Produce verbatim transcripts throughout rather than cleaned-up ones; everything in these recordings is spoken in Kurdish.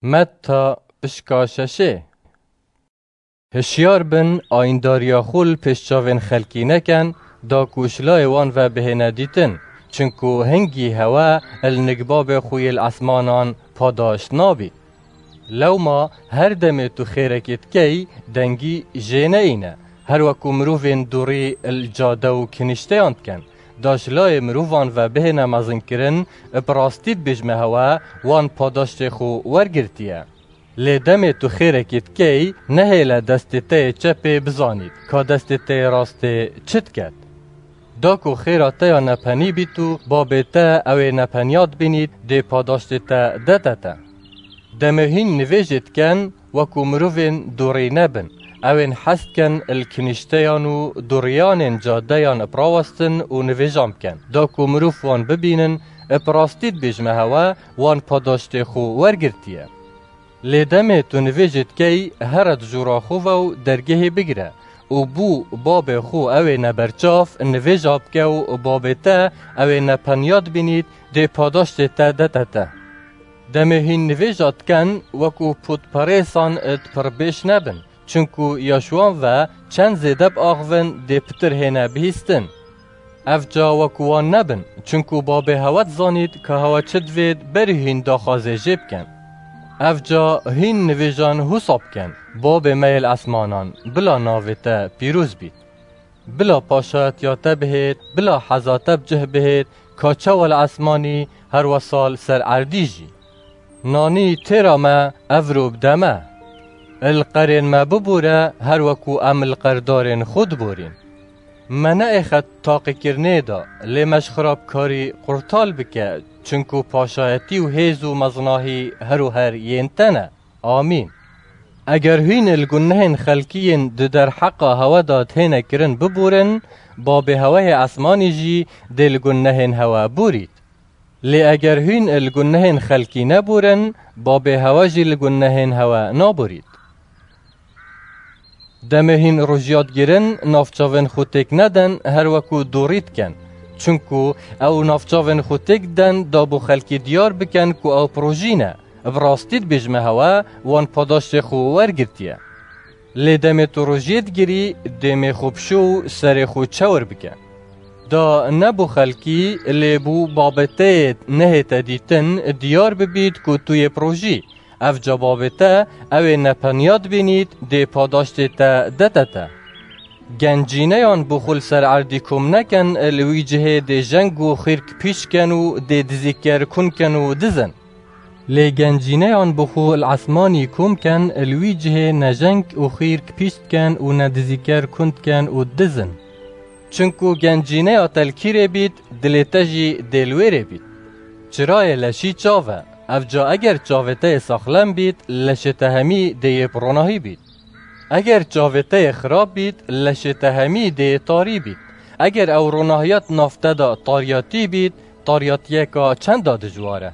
Metta pişka şeşê. Hişyar bin, ayîndariya xwe li pêş çavên xelkî neken, da ku ji layê wan ve bihêne dîtin, çinku hingî hewe li nik babê xwe yê li esmanan padaşt nabî. Lewma her demê tu xêrekê dikey, dengî jê neyîne. Her weku mirovên dûrî li cade û kinîşteyan dikin, da ji layê mirovan ve bihêne mezinkirin, bi rastî dibêjme hewe wan padaştê xwe wergirtiye. Lê demê tu xêrekê dikey, nehêle destê te yê çepê bizanît ka destê te yê rastê çi diket. Da ku xêra te ya nepenî bît û babê te ew ê nepeniya dibînît, dê padaştê te dete te. Demê hîn nivêjê diken, weku mirovên dûrî nebin. Ew ên hez dikin li kinîşteyan û dûriyanên cadeyan bi rawestin û nivêjan bikin. Da ku mirov wan bibînin, bi rastî dibêjme hewe wan padaştê xwe wergirtiye. Lê demê tu nivêjê dikey, here di jûra xwe ve û dergehê bigire û bû babê xwe ew ê neberçav nivêja bike û babê te ew ê nepeniya dibînît, dê padaştê te dete te. Demê hîn nivêja diken, weku pûtperêsan di pirbêj nebin, çinku ya ji wan ve çend zêde biaxivin, dê pitir hêne bihîstin. Evca weku wan nebin, çinku babê hewe dizanît ka hewe çi divêt, berî hîn daxwazê jê bikin. Evca hîn nivêjan husa bikin, babê me yê li esmanan, bila navê te pîroz bît. Bila paşayetiya te bihêt, bila heza te bi cih bihêt, ka çawa li esmanî, her wesa li ser erdî jî. Nanî têra me, evro bide me. Li qerên me bibûre, her weku em li qerdarên xwe diborîn. Me neêxe taqîkirinê de, lê me ji xirabkarî qurtal bike, çinku paşayetî û hêz û mezinahî her û her yên te ne. Amîn. Eger hîn li gunehên xelkî yên di derheqa hewe de têne kirin bibûrin, babê hewe yê esmanî jî dê li gunehên hewe bûrît. Lê eger hîn li gunehên xelkî nebûrin, babê hewe jî li gunehên hewe nabûrît. Demê hîn rojiyat girin, navçavên xwe têk nedin, her weku dûrî dikin. Çinku ew navçavên xwe têk didin, da bo xelkî diyar bikin ku ew bi rojî ne. Bi rastî dibêjme hewe, wan padaştê xwe wergirtiye. Lê demê tu rojiyê digirî, dêmê xwe bişo û serê xwe çewir bike. Da ne bo xelkî, lê bo babeteyê nehête dîtin, diyar bibît ku tu yê bi rojî. Evca babê te, ew ê nepeniya dibînît, dê padaştê te dete te. Gencîneyan bo xwe li ser erdî kom nekin, li wî cihê dê jeng û xîrk pîç ken û dê dizîker kun ken û dizin. Lê gencîneyan bo xwe li esmanî kom ken, li wî cihê ne jeng û xîrk pîç diken û ne dizîker kun diken û dizin. Çinku gencîneya te li kîrê bît, dilê te jî dê li wêrê bît. Çirayê leşî çav e. Evca eger çavê te yê saxlem bît, leşê te hemî dê yê bi ronahî bît. Eger çavê te yê xirab bît, leşê te hemî dê yê tarî bît. Eger ew ronahiya di nav te de tariyatî bît, tariyatiyeka çenda dijwar e.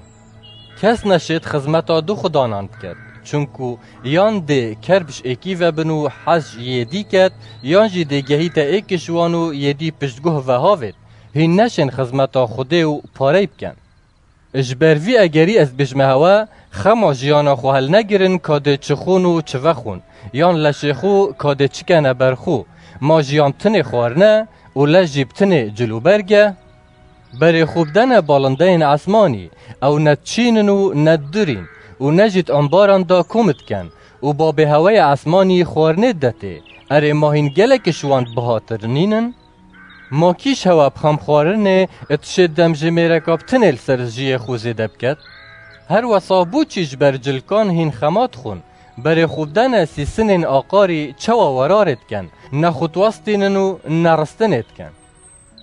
Kes neşêt xizmeta du xudanan biket, çunku yan dê ker bi ji êkî ve bin û hez ji yê dî ket, yan jî dê gehîte êk ji wan û yê dî piştguh ve havêt. Hîn neşên xizmeta Xwedê û parey bikin. Ji ber vî egerî ez dibêjme hewe, xema jiyana xwe helnegirin ka dê çi xwin û çi vexwin, yan leşê xwe ka dê çi kene ber xwe. Ma jiyan bi tinê xwarine û leş jî bi tinê cilûberg e? Berê xwe bidene balindeyên esmanî, ew ne diçînin û ne didirîn û ne jî di embaran de kom dikin û babê heweyê esmanî xwarinê didetê. Erê, ma hîn gelek ji wan bihatir nînin? Ma kî ji hewe bi xemxwarinê dişê demjimêreka bi tinê li ser jiyê xwe zêde biket? Her wesa bo çî ji ber cilkan hîn xema dixwin? Berê xwe bidene sîsinên aqarî çawa werarê dikin, ne xwe diwestînin û ne ristinê dikin.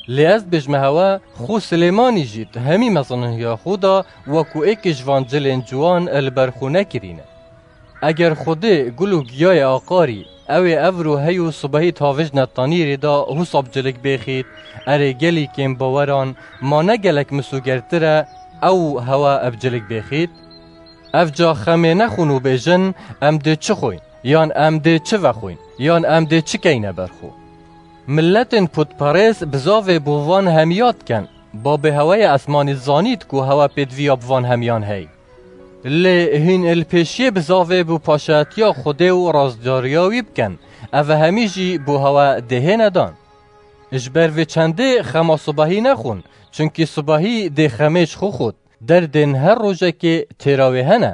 Lê ez dibêjme hewe, xwe Silêmanî jî di hemî mezinihiya xwe de wekû êkê ji van cilên ciwan li ber xwe nekirîne. Eger Xwedê gul û giyayê aqarî, ew ê evro hey û sibehî di havêjne tanîrê de husa bi cilik bêxît, erê gelî kêmbaweran, ma ne gelek misûgertir e ew hewe bi cilik bêxît? Evca xemê nexwin û bêjin, em dê çi xwin, yan em dê çi vexwin, yan em dê çi keyne ber xwe. Miletên pûtperêz bizavê bo van hemiya dikin. Babê heweyê esmanî zanît ku hewe pêdiviya bi van hemiyan hey. Lê hîn li pêşiyê bizavê bo paşayetiya Xwedê û rastdariya wî bikin. Ev hemî jî bo hewe dê hêne dan. Ji ber vê çendê xema sibahî nexwin, çunkî sibahî dê xemê ji xwe xwit. Derdên her rojekê têra wê hene.